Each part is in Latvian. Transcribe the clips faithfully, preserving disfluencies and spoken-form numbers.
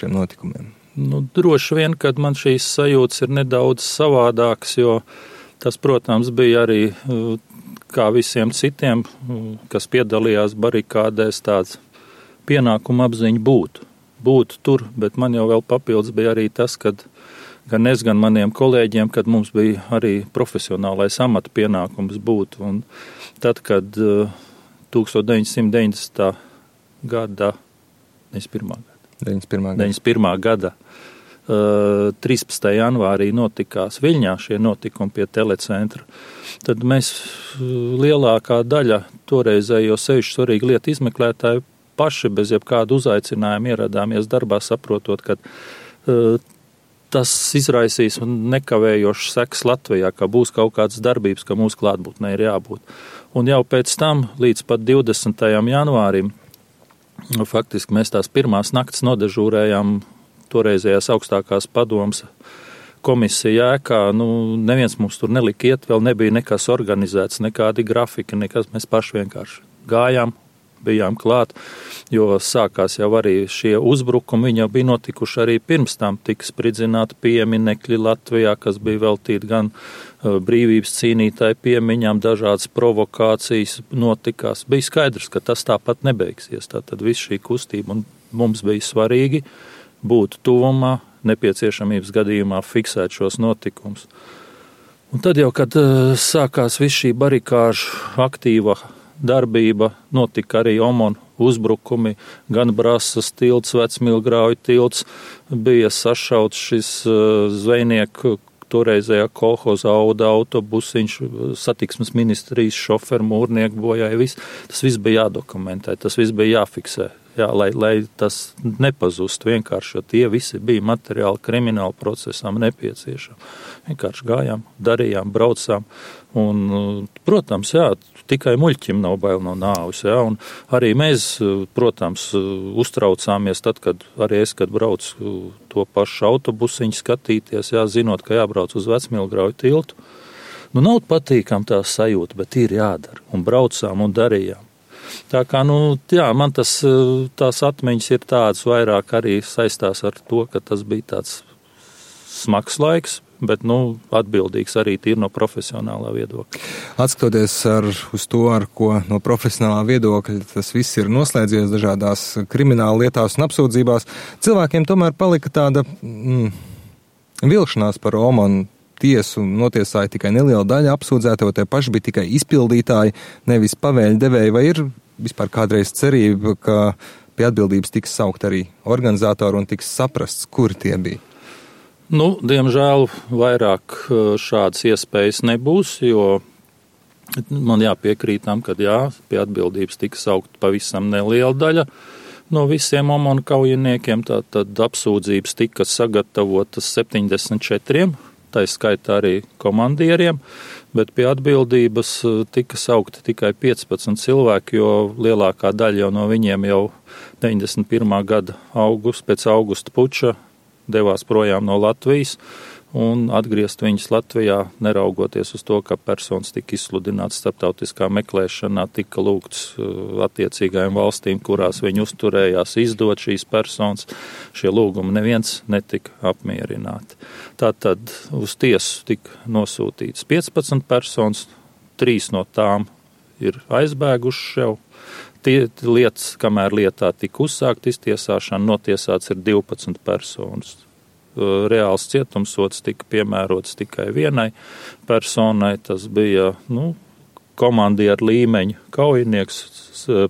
šiem notikumiem? Nu, droši vien, kad man šīs sajūtas ir nedaudz savādākas, jo tas, protams, bija arī kā visiem citiem, kas piedalījās barikādēs, tāds pienākuma apziņa būt. Būt tur, bet man jau vēl papildus bija arī tas, kad gan es, gan maniem kolēģiem, kad mums bija arī profesionālais amata pienākums būt. Un tad, kad deviņdesmit deviņdesmitā gada, deviņdesmit pirmā gada, deviņdesmit pirmā gada, deviņdesmit pirmā gada trīspadsmitajā janvārī notikās Viļņā šie notikumi pie telecentra, tad mēs lielākā daļa toreizējo sevišķi svarīgu lietu izmeklētāju paši bez jebkādu uzaicinājumu ieradāmies darbā, saprotot, ka uh, tas izraisīs nekavējošas sekas Latvijā, ka būs kaut kādas darbības, ka mūsu klātbūtnē ir jābūt. Un jau pēc tam, līdz pat divdesmitajam janvārim, faktiski mēs tās pirmās naktas nodežūrējām toreizējās augstākās padomas komisija ēkā. Nu, neviens mums tur nelika iet, vēl nebija nekas organizēts, nekādi grafiki, nekas, mēs paši vienkārši gājām, bijām klāt, jo sākās jau arī šie uzbrukumi, viņi jau bija notikuši arī pirms tam, tika spridzināti pieminekļi Latvijā, kas bija veltīti gan brīvības cīnītāju piemiņām, dažādas provokācijas notikās. Bija skaidrs, ka tas tāpat nebeigsies, tātad viss šī kustība, un mums bija svarīgi būt tuvumā, nepieciešamības gadījumā fiksēt šos notikumus. Un tad jau, kad sākās viss šī barikāžu aktīva darbība, notika arī OMON uzbrukumi, gan Brasas tilts, Vecmilgrauju tilts, bija sašauts šis zvejnieku toreizējā kolhoza Auda autobusiņš, satiksmes ministrijas šoferu, mūrnieku bojāja, viss. Tas viss bija jādokumentē, tas viss bija jāfiksē. Jā, lai, lai tas nepazust vienkārši, jo tie visi bija materiāli krimināli procesam nepieciešami. Vienkārši gājām, darījām, braucām. Un, protams, jā, tikai muļķim nav bail no nāves. Jā, un arī mēs, protams, uztraucāmies tad, kad arī es, kad braucu to pašu autobusiņu skatīties, jā, zinot, ka jābrauc uz Vecmilgrauju tiltu. Nu, nav patīkam tā sajūta, bet ir jādara. Un braucām un darījām. Tā kā, nu, jā, man tas, tās atmiņas ir tādas vairāk arī saistās ar to, ka tas bija tāds smags laiks, bet, nu, atbildīgs arī tīri no profesionālā viedokļa. Atskatoties ar, uz to, ar ko no profesionālā viedokļa tas viss ir noslēdzies dažādās krimināla lietās un apsūdzībās, cilvēkiem tomēr palika tāda mm, vilšanās par OMON tiesu, notiesāja tikai neliela daļa apsūdzēto, tie paši bija tikai izpildītāji, nevis pavēļu devēji, vai ir vispār kādreiz cerība, ka pie atbildības tiks saukt arī organizatori un tiks saprasts, kur tie bija? Nu, diemžēl vairāk šādas iespējas nebūs, jo man jāpiekrīt tam, ka jā, pie atbildības tiks saukt pavisam neliela daļa no visiem OMON kaujiniekiem, tātad apsūdzības tika sagatavotas septiņdesmit četriem, tā skaitā arī komandieriem, bet pie atbildības tika saukti tikai piecpadsmit cilvēki, jo lielākā daļa jau no viņiem jau deviņdesmit pirmā gada august, pēc augusta puča devās projām no Latvijas un atgriezt viņus Latvijā, neraugoties uz to, ka personas tika izsludināts starptautiskā meklēšanā, tika lūgts attiecīgajām valstīm, kurās viņi uzturējās, izdot šīs personas. Šie lūgumi neviens netika apmierināti. Tātad uz tiesu tika nosūtīts piecpadsmit personas, trīs no tām ir aizbēguši jau. Tie lietas, kamēr lietā tika uzsākt iztiesāšana, notiesāts ir divpadsmit personas. Reāls cietumsods tika piemērots tikai vienai personai, tas bija, nu, komandieru līmeņa kaujinieks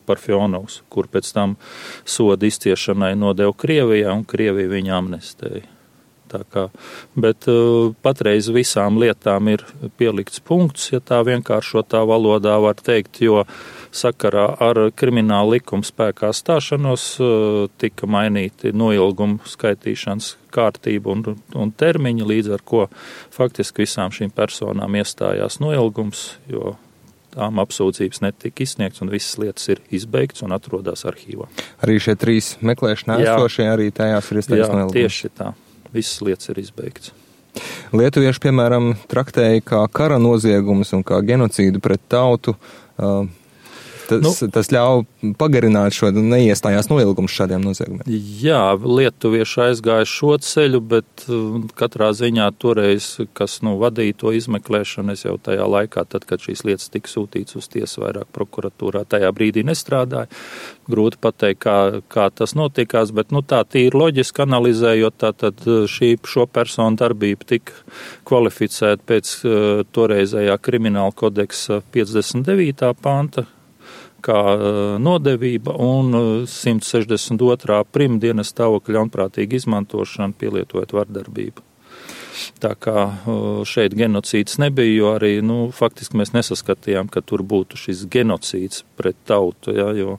Parfjonovs, kur pēc tam soda izciešanai nodeva Krievijā, un Krievija viņu amnestēja. Tā kā, bet uh, patreiz visām lietām ir pielikts punkts, ja tā vienkāršotā valodā var teikt, jo sakarā ar krimināla likuma spēkā stāšanos uh, tika mainīti noilgumu skaitīšanas kārtība un, un termiņi, līdz ar ko faktiski visām šīm personām iestājās noilgums, jo tām apsūdzības netika izsniegts un visas lietas ir izbeigts un atrodas arhīvā. Arī šie trīs meklēšanā esošie, arī tajās ir iestājas noilgums? Jā, tieši tā. Visas lietas ir izbeigts. Lietuvieši, piemēram, traktēja kā kara noziegumus un kā genocīdu pret tautu. Uh, Tas, nu, tas ļauj pagarināt šo neiestājās noilgumu šādiem noziegumiem. Jā, lietuvieši aizgāja šo ceļu, bet katrā ziņā toreiz, kas nu, vadīja to izmeklēšanu, es jau tajā laikā, tad, kad šīs lietas tika sūtīts uz tiesu vairāk prokuratūrā, tajā brīdī nestrādāja. Grūti pateikt, kā, kā tas notikās, bet nu, tā tīri loģiski analizējot, tā tad šī, šo personu darbība tika kvalificēta pēc uh, toreizējā krimināla kodeksa piecdesmit devītā panta, kā nodevība un simt sešdesmit otrā primdienas stāvokļa ļaunprātīga izmantošana, pielietojot vardarbību. Tā kā šeit genocīds nebija, jo arī, nu, faktiski mēs nesaskatījām, ka tur būtu šis genocīds pret tautu, ja, jo,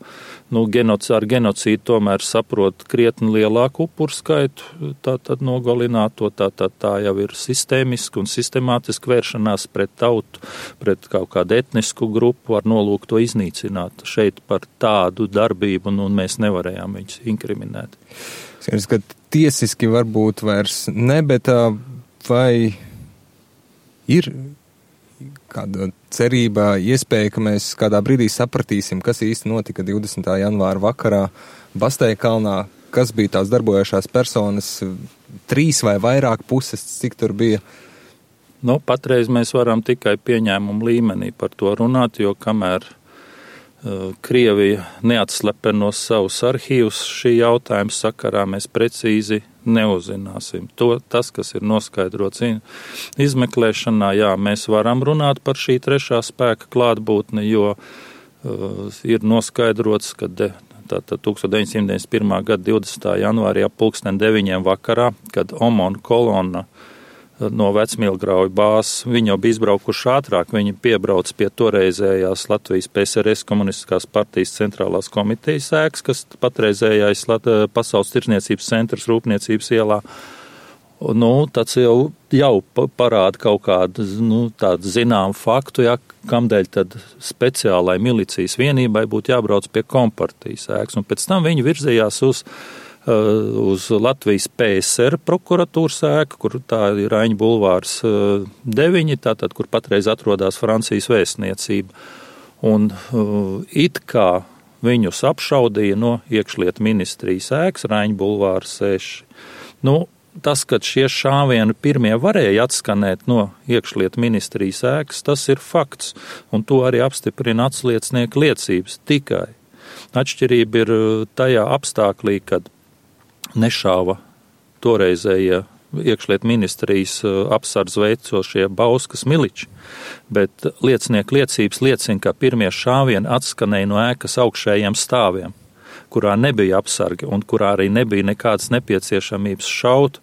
nu, genoc, ar genocīdu tomēr saprot krietni lielāku upuru skaitu, tā tad nogalināt to, tā, tā, tā jau ir sistēmiski un sistemātiski vēršanās pret tautu, pret kaut kādu etnisku grupu ar nolūku to iznīcināt. Šeit par tādu darbību, nu, mēs nevarējām viņus inkriminēt. Skaidrs, ka tiesiski varbūt vairs ne, bet vai ir kāda cerība, iespēja, ka mēs kādā brīdī sapratīsim, kas īsti notika divdesmitā janvāra vakarā Bastēja kalnā, kas bija tās darbojošās personas, trīs vai vairāk puses, cik tur bija? Nu, patreiz mēs varam tikai pieņēmumu līmenī par to runāt, jo kamēr uh, Krievija neatslepenos savus arhīvus šī jautājuma sakarā, mēs precīzi neuzzināsim. To, tas, kas ir noskaidrots izmeklēšanā, jā, mēs varam runāt par šī trešā spēka klātbūtni, jo uh, ir noskaidrots, ka de, tātad deviņdesmit deviņdesmit pirmā gada divdesmitā janvārī ap pulksten deviņiem vakarā, kad Omona kolonna no Vecmilgrauju bāzes, viņi jau bija izbraukuši ātrāk, viņi piebrauc pie toreizējās Latvijas P S R S komunistiskās partijas centrālās komitejas ēkas, kas patreizējais Pasaules tirdzniecības centrs Rūpniecības ielā. Nu, tas jau, jau parāda kaut kādu, nu, tādu zinām faktu, ja, kamdēļ tad speciālai milicijas vienībai būtu jābrauc pie kompartijas ēkas, un pēc tam viņi virzījās uz uz Latvijas P S R prokuratūras ēku, kur tā ir Raiņa bulvārs deviņi, tātad, kur patreiz atrodas Francijas vēstniecība. Un uh, it kā viņus apšaudīja no iekšlietu ministrijas ēkas Raiņa bulvārs seši. Nu, tas, ka šie šāvieni pirmie varēja atskanēt no iekšlietu ministrijas ēkas, tas ir fakts, un to arī apstiprina atsliecnieku liecības tikai. Atšķirība ir tajā apstāklī, kad nešāva toreizējie iekšliet ministrijas apsardz veicošie Bauskas miliči, bet liecinieku liecības liecina, ka pirmie šāvieni atskanēja no ēkas augšējiem stāviem, kurā nebija apsargi un kurā arī nebija nekādas nepieciešamības šaut,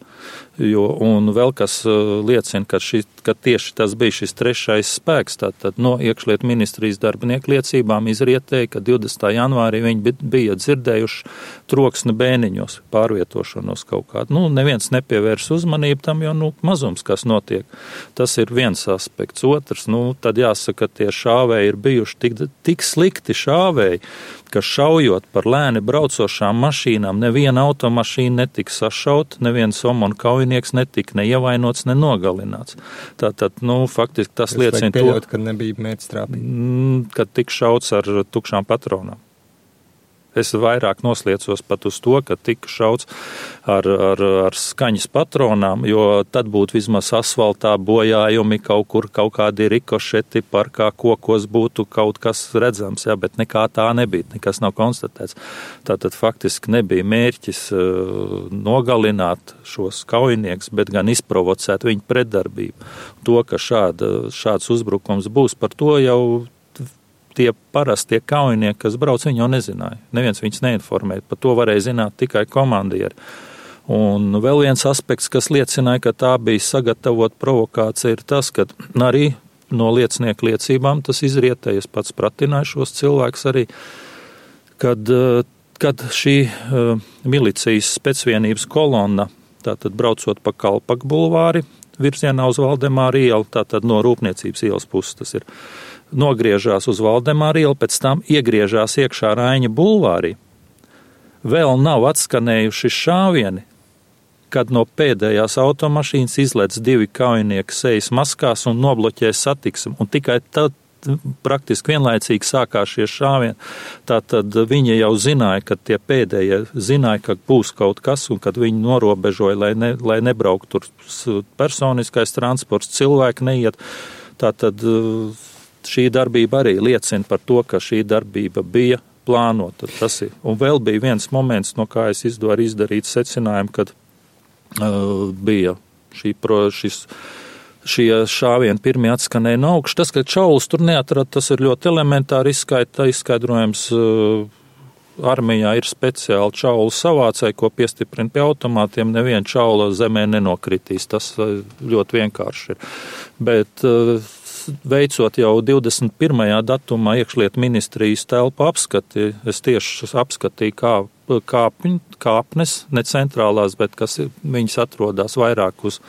jo, un vēl kas liecina, ka, šī, ka tieši tas bija šis trešais spēks, tātad no iekšlietu ministrijas darbinieku liecībām izrietēja, ka divdesmitā janvārī viņi bija dzirdējuši troksni bēniņos, pārvietošanos kaut kādu. Nu, neviens nepievērš uzmanību tam, jo, nu, mazums, kas notiek. Tas ir viens aspekts. Otrs, nu, tad jāsaka, ka tie šāvēji ir bijuši tik, tik slikti šāvēji, ka šaujot par lēni braucošām mašīnām, neviena automašīna netika sašaut, neviens omon kaujinieks netika neievainots, ne nogalināts. Tātad, nu, faktiski tas es liecina to, pieļaut, ka nebija mērķstrāpīgi. Kad tik šauts ar tukšām patronām. Es vairāk nosliecos pat uz to, ka tika šauts ar, ar, ar skaņas patronām, jo tad būtu vismaz asfaltā bojājumi, kaut kur kaut kādi rikošeti, parkā kokos būtu kaut kas redzams, jā, bet nekā tā nebija, nekas nav konstatēts. Tātad faktiski nebija mērķis uh, nogalināt šos kaujinieks, bet gan izprovocēt viņu pretdarbību. To, ka šāda, šāds uzbrukums būs, par to jau tie parastie kaujinieki, kas brauc, viņi jau nezināja. Neviens viņus neinformēja. Par to varēja zināt tikai komandieri. Un vēl viens aspekts, kas liecināja, ka tā bija sagatavot provokācija, ir tas, ka arī no liecinieku liecībām tas izrietēja. Es pats pratināju šos cilvēkus arī, kad, kad šī milicijas specvienības kolonna, tātad braucot pa Kalpaku bulvāri, virzienā uz Valdemāra ielu, tātad no Rūpniecības ielas puses tas ir, nogriežās uz Valdemāra ielu, pēc tam iegriežās iekšā Raiņa bulvārī. Vēl nav atskanējuši šāvieni, kad no pēdējās automašīnas izlec divi kaujinieki sejas maskās un nobloķē satiksmi. Un tikai tad praktiski vienlaicīgi sākās šie šāvieni. Tātad viņi jau zināja, ka tie pēdējie zināja, ka būs kaut kas, un kad viņi norobežoja, lai, ne, lai nebrauktu tur personiskais transports, cilvēki neiet. Tātad šī darbība arī liecina par to, ka šī darbība bija plānota. Tas ir. Un vēl bija viens moments, no kā es izdaru izdarīt secinājumu, kad uh, bija šī, pro, šis, šie šāvieni pirmie atskanēja no augšas. Tas, ka čaulus tur neatrada, tas ir ļoti elementāri izskaidrojums. izskaidrojums uh, armijā ir speciāli čaulu savācēji, ko piestiprina pie automātiem. Neviena čaula zemē nenokritīs. Tas uh, ļoti vienkārši ir. Bet uh, veicot jau divdesmit pirmajā datumā iekšlietu ministrijas telpu apskati, es tieši apskatīju kā kāpņ, kāpnes, ne centrālās, bet kas viņas atrodas vairāk uz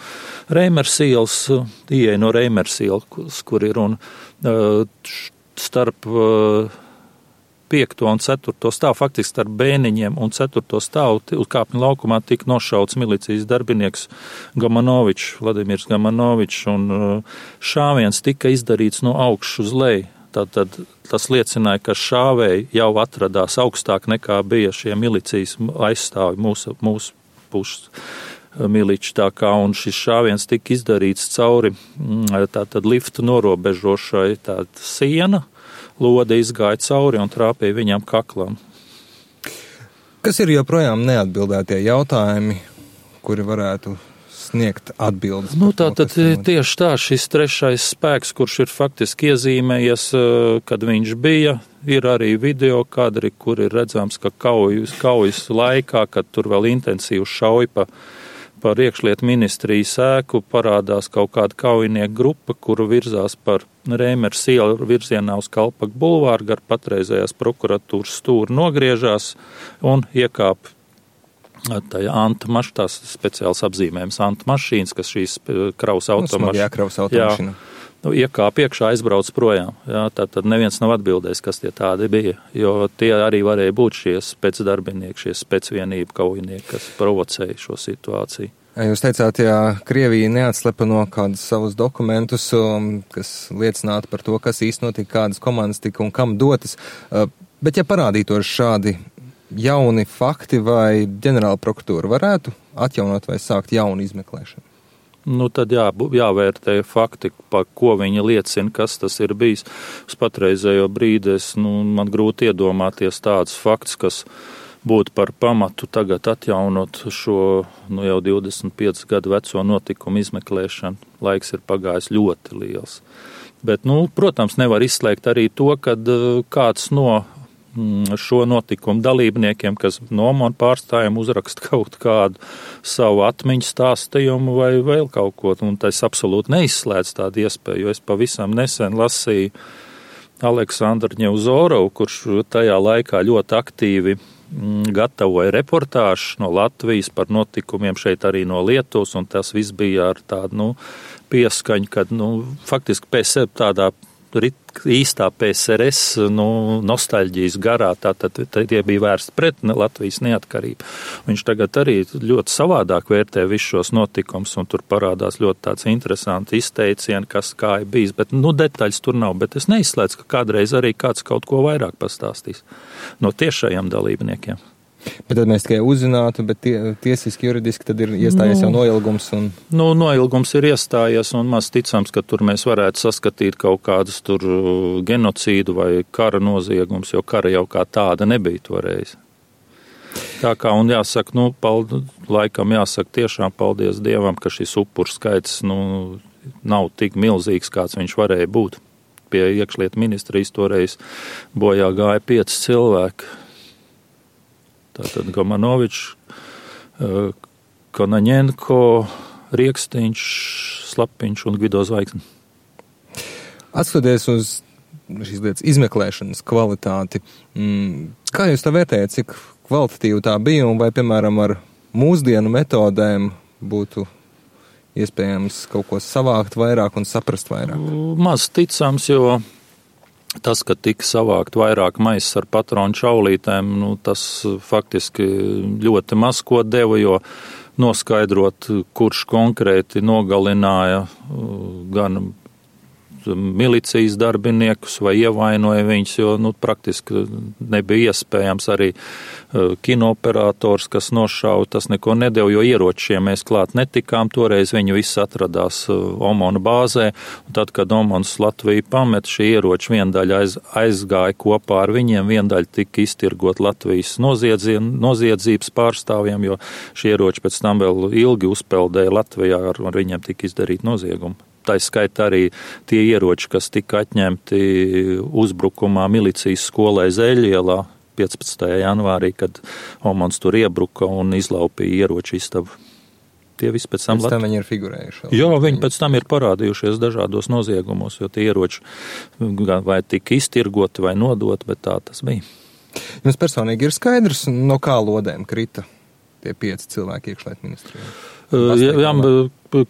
Reimers ielas, ieeja no Reimers ielas, kur ir un starp piekto un ceturto stāvu, faktiski starp Bēniņiem un ceturto stāvu uz kāpņu laukumā tika nošauts milicijas darbinieks Gamanovičs, Vladimirs Gamanovičs, un šāviens tika izdarīts no augšas uz leju. Tātad tas liecināja, ka šāvēji jau atradās augstāk nekā bija šie milicijas aizstāvi mūsu, mūsu pušas miliči, tā kā, un šis šāviens tika izdarīts cauri tātad liftu norobežošai tāda siena, lode izgāja cauri un trāpīja viņam kaklam. Kas ir joprojām neatbildētie jautājumi, kuri varētu sniegt atbildes? Nu, tā tad tieši tā, šis trešais spēks, kurš ir faktiski iezīmējies, kad viņš bija, ir arī video kadri, kur ir redzams, ka kaujas, kaujas laikā, kad tur vēl intensīvi šauja pa par iekšlietu ministrijas ēku, parādās kaut kāda kaujinieku grupa, kuru virzās par Reimers ielu virzienā uz Kalpaku bulvāru, gar patreizējās prokuratūras stūri nogriežās un iekāp tajā anta maš, tās speciāls apzīmējums anta mašīnas, kas šīs kraus automašīnas. Jā, kraus automašīna. Nu, iekāp iekšā, aizbrauc projām. Jā, tātad neviens nav atbildējis, kas tie tādi bija, jo tie arī varēja būt šie specdarbinieki, šie specvienību kaujinieki, kas provocēja šo situāciju. Jūs teicāt, ja Krievija neatslepeno kādus savus dokumentus, kas liecinātu par to, kas īsti notika, kādas komandas tika un kam dotas, bet ja parādītos šādi jauni fakti, vai ģenerāla prokuratūra varētu atjaunot vai sākt jaunu izmeklēšanu? Nu, tad jā, jāvērtē fakti, par ko viņi liecina, kas tas ir bijis. Uz patreizējo brīdi es, nu, man grūti iedomāties tāds fakts, kas būtu par pamatu tagad atjaunot šo, nu, jau divdesmit piecus gadu veco notikumu izmeklēšanu. Laiks ir pagājis ļoti liels. Bet, nu, protams, nevar izslēgt arī to, kad kāds no šo notikumu dalībniekiem, kas no man pārstājiem uzraksta kaut kādu savu atmiņu stāstījumu vai vēl kaut ko, un tas absolūti neizslēdz tādu iespēju, jo es pavisam nesen lasīju Aleksandru Ņevzorovu, kurš tajā laikā ļoti aktīvi gatavoja reportāžu no Latvijas par notikumiem šeit arī no Lietuvas, un tas viss bija ar tādu, nu, pieskaņu, kad, nu, faktiski pēc tādā īstā P S R S, nu, nostalģijas garā, tātad tie bija vērsti pret Latvijas neatkarību. Viņš tagad arī ļoti savādāk vērtē visus šos notikumus, un tur parādās ļoti tāds interesanti izteicieni, kas kā ir bijis, bet, nu, detaļas tur nav, bet es neizslēdzu, ka kādreiz arī kāds kaut ko vairāk pastāstīs no tiešajiem dalībniekiem. Bet tad mēs tikai uzzinātu, bet tie, tiesiski, juridiski tad ir iestājies nu, jau noilgums. Un... Nu, noilgums ir iestājies, un maz ticams, ka tur mēs varētu saskatīt kaut kādus tur genocīdu vai kara noziegums, jo kara jau kā tāda nebija toreiz. Tā kā, un jāsaka, nu, pald, laikam jāsaka tiešām paldies Dievam, ka šis upuru skaits, nu, nav tik milzīgs, kāds viņš varēja būt. Pie iekšlietu ministrijas toreiz bojā gāja pieci cilvēki. Tātad Gamanovičs, Konaņenko, Riekstiņš, Slapiņš un Gvido Zvaigzne. Atskatoties uz šīs lietas izmeklēšanas kvalitāti, kā jūs tā vērtējat, cik kvalitatīva tā bija un vai, piemēram, ar mūsdienu metodēm būtu iespējams kaut ko savākt vairāk un saprast vairāk? Maz ticams, jo tas, ka tika savākt vairāk maisas ar patronu čaulītēm, nu, tas faktiski ļoti maz ko deva, jo noskaidrot, kurš konkrēti nogalināja gan milicijas darbiniekus vai ievainoja viņus, jo nu, praktiski nebija iespējams arī kinooperators, kas nošauja, tas neko nedēļ, jo ieročiem mēs klāt netikām, toreiz viņi visi atradās Omona bāzē, un tad, kad Omons Latviju pamet, šī ieroči viendaļa aiz, aizgāja kopā ar viņiem, viendaļa tika iztirgot Latvijas noziedzības pārstāvjiem, jo šie ieroči pēc tam vēl ilgi uzpeldēja Latvijā, ar, ar viņiem tika izdarīt noziegumu. Tā skaita arī tie ieroči, kas tika atņemti uzbrukumā milicijas skolai Zeļielā piecpadsmitajā janvārī, kad Omons tur iebruka un izlaupīja ieroču istabu. Tie visi pēc tam... Pēc tam viņi ir figurējuši. Jā, viņi pēc tam ir parādījušies dažādos noziegumos, jo tie ieroči vai tika iztirgoti vai nodoti, bet tā tas bija. Jums personīgi ir skaidrs, no kā lodēm krita tie pieci cilvēki iekšlietu ministrijā? Jā, jā,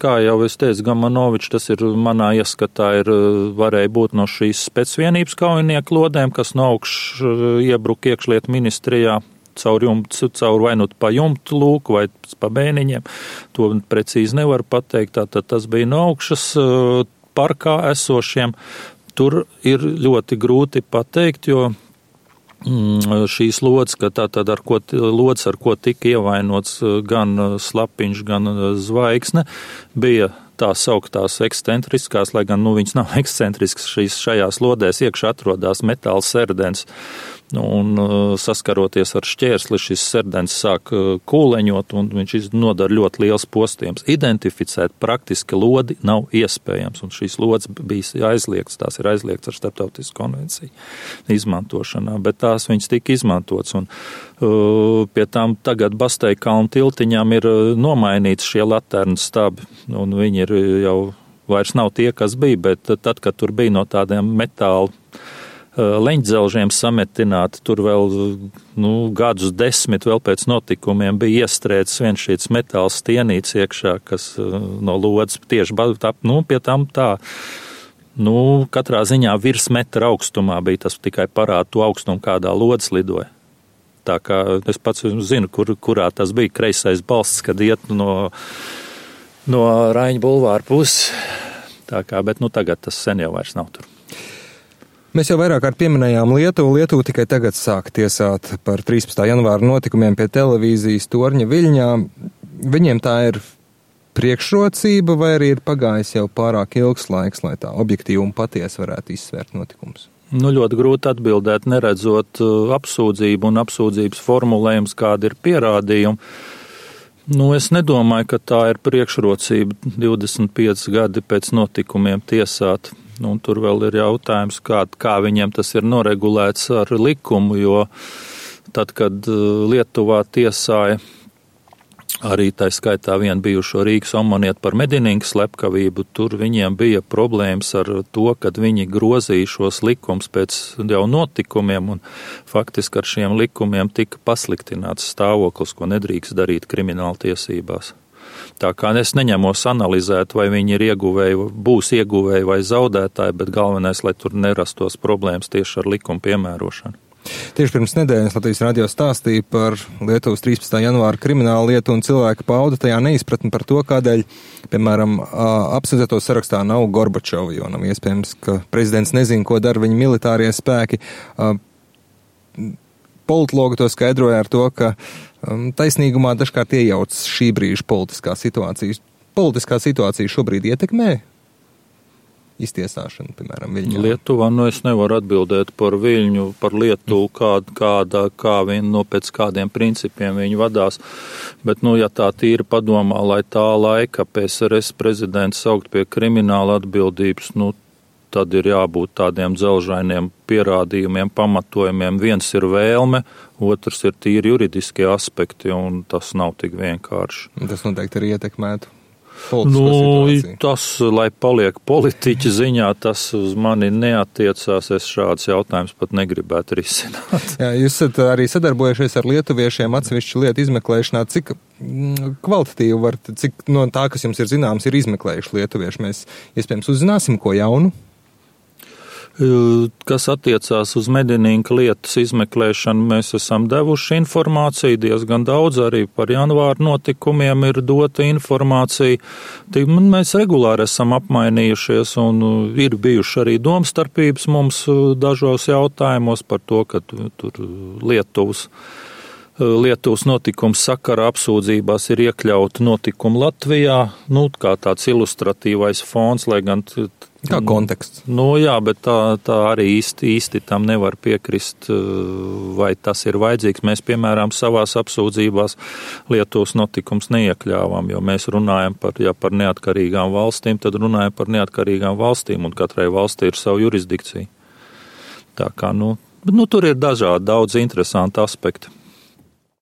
kā jau es teicu, Gamanovičs, tas ir manā ieskatā, ir varēja būt no šīs specvienības kaujinieku lodēm, kas no augšas iebruka iekšlietu ministrijā caur, jumtu, caur vai nu pa jumtu lūku vai pa bēniņiem. To precīzi nevar pateikt, tātad tas bija no augšas parkā esošiem. Tur ir ļoti grūti pateikt, jo šīs lodes, ka tā tad ar ko, lodes, ar ko tika ievainots gan Slapiņš, gan Zvaigzne, bija tā sauktās ekscentriskās, lai gan nu, viņas nav ekscentriskas, šīs šajās lodēs iekšā atrodās metāla serdens, un saskaroties ar šķērsli, šis serdens sāk kūleņot, un viņš nodara ļoti liels postījums. Identificēt praktiski lodi nav iespējams, un šīs lodes bija aizliegts, tās ir aizliegts ar starptautisku konvenciju izmantošanā, bet tās viņas tika izmantots, un uh, pie tām tagad Basteikalnu tiltiņām ir nomainīts šie laternas stabi, un viņi ir jau vairs nav tie, kas bija, bet tad, kad tur bija no tādiem metāla leņķdzelžiem sametināti, tur vēl nu, gadus desmit vēl pēc notikumiem bija iestrēdzis viens šīs metāla stienīts iekšā, kas no lodes tieši tā, nu, pie tam tā, nu, katrā ziņā virs metra augstumā bija, tas tikai parāda to augstumu, kādā lodes lidoja. Tā kā es pats zinu, kur, kurā tas bija kreisais balsts, kad iet no, no Raiņa bulvāra puses. Tā kā, bet nu tagad tas sen jau vairs nav tur. Mēs jau vairāk kārt pieminējām Lietuvu. Lietuva tikai tagad sāk tiesāt par trīspadsmitā janvāra notikumiem pie televīzijas torņa Viļņā. Viņiem tā ir priekšrocība vai arī ir pagājis jau pārāk ilgs laiks, lai tā objektīvi un patiesi varētu izsvērt notikumus? Nu, ļoti grūti atbildēt, neredzot apsūdzību un apsūdzības formulējums, kāda ir pierādījuma. Nu, es nedomāju, ka tā ir priekšrocība divdesmit pieci gadi pēc notikumiem tiesāt. Nu, un tur vēl ir jautājums, kā, kā viņiem tas ir noregulēts ar likumu, jo tad, kad Lietuvā tiesāja arī tā skaitā vienu bijušo Rīgas omonietu par medinīgu slepkavību, tur viņiem bija problēmas ar to, kad viņi grozīja šos likumus pēc jau notikumiem, un faktiski ar šiem likumiem tika pasliktināts stāvoklis, ko nedrīkst darīt krimināla tiesībās. Tā kā es neņemos analizēt, vai viņi ir ieguvēji, būs ieguvēji vai zaudētāji, bet galvenais, lai tur nerastos problēmas tieši ar likumu piemērošanu. Tieši pirms nedēļas Latvijas radio stāstīja par Lietuvas trīspadsmitā janvāra kriminālu lietu un cilvēku pauda tajā neizpratni par to, kādēļ, piemēram, apsūdzēto sarakstā nav Gorbačova, jo nav iespējams, ka prezidents nezina, ko dara viņa militārie spēki. Politologi to skaidroja ar to, ka um, taisnīgumā dažkārt iejauc šī brīža politiskā situācija. Politiskā situācija šobrīd ietekmē iztiesāšanu, piemēram, Viļņā? Lietuvā, nu es nevaru atbildēt par Viļņu, par Lietuvu, kāda, kāda, kā viņi, no pēc kādiem principiem viņi vadās, bet, nu, ja tā tīri padomā, lai tā laika P S R S prezidents saukt pie krimināla atbildības, nu, tad ir jābūt tādiem dzelžainiem pierādījumiem, pamatojumiem. Viens ir vēlme, otrs ir tīri juridiskie aspekti, un tas nav tik vienkārši. Tas noteikti arī ietekmētu politisko nu, situāciju. Tas, lai paliek politiķa ziņā, tas uz mani neatiecās. Es šāds jautājums pat negribētu risināt. Jā, jūs esat arī sadarbojušies ar lietuviešiem atsevišķu lietu izmeklēšanā. Cik kvalitatīvi var, cik no tā, kas jums ir zināms, ir izmeklējuši lietuvieši? Mēs iespējams uzzināsim ko jaunu? Kas attiecās uz Medinīnka lietas izmeklēšanu, mēs esam devuši informāciju diezgan daudz, arī par janvāra notikumiem ir dota informācija. Mēs regulāri esam apmainījušies un ir bijuši arī domstarpības mums dažos jautājumos par to, ka tur Lietuvas. Lietuvas notikums sakara apsūdzībās ir iekļauta notikuma Latvijā, nu, kā tāds ilustratīvais fons, lai gan. Kā konteksts. Nu, jā, bet tā, tā arī īsti, īsti tam nevar piekrist, vai tas ir vajadzīgs. Mēs, piemēram, savās apsūdzībās Lietuvas notikums neiekļāvām, jo mēs runājam par, ja par neatkarīgām valstīm, tad runājam par neatkarīgām valstīm, un katrai valstī ir savu jurisdikciju. Tā kā, nu, nu tur ir dažādi, daudz interesanti aspekti.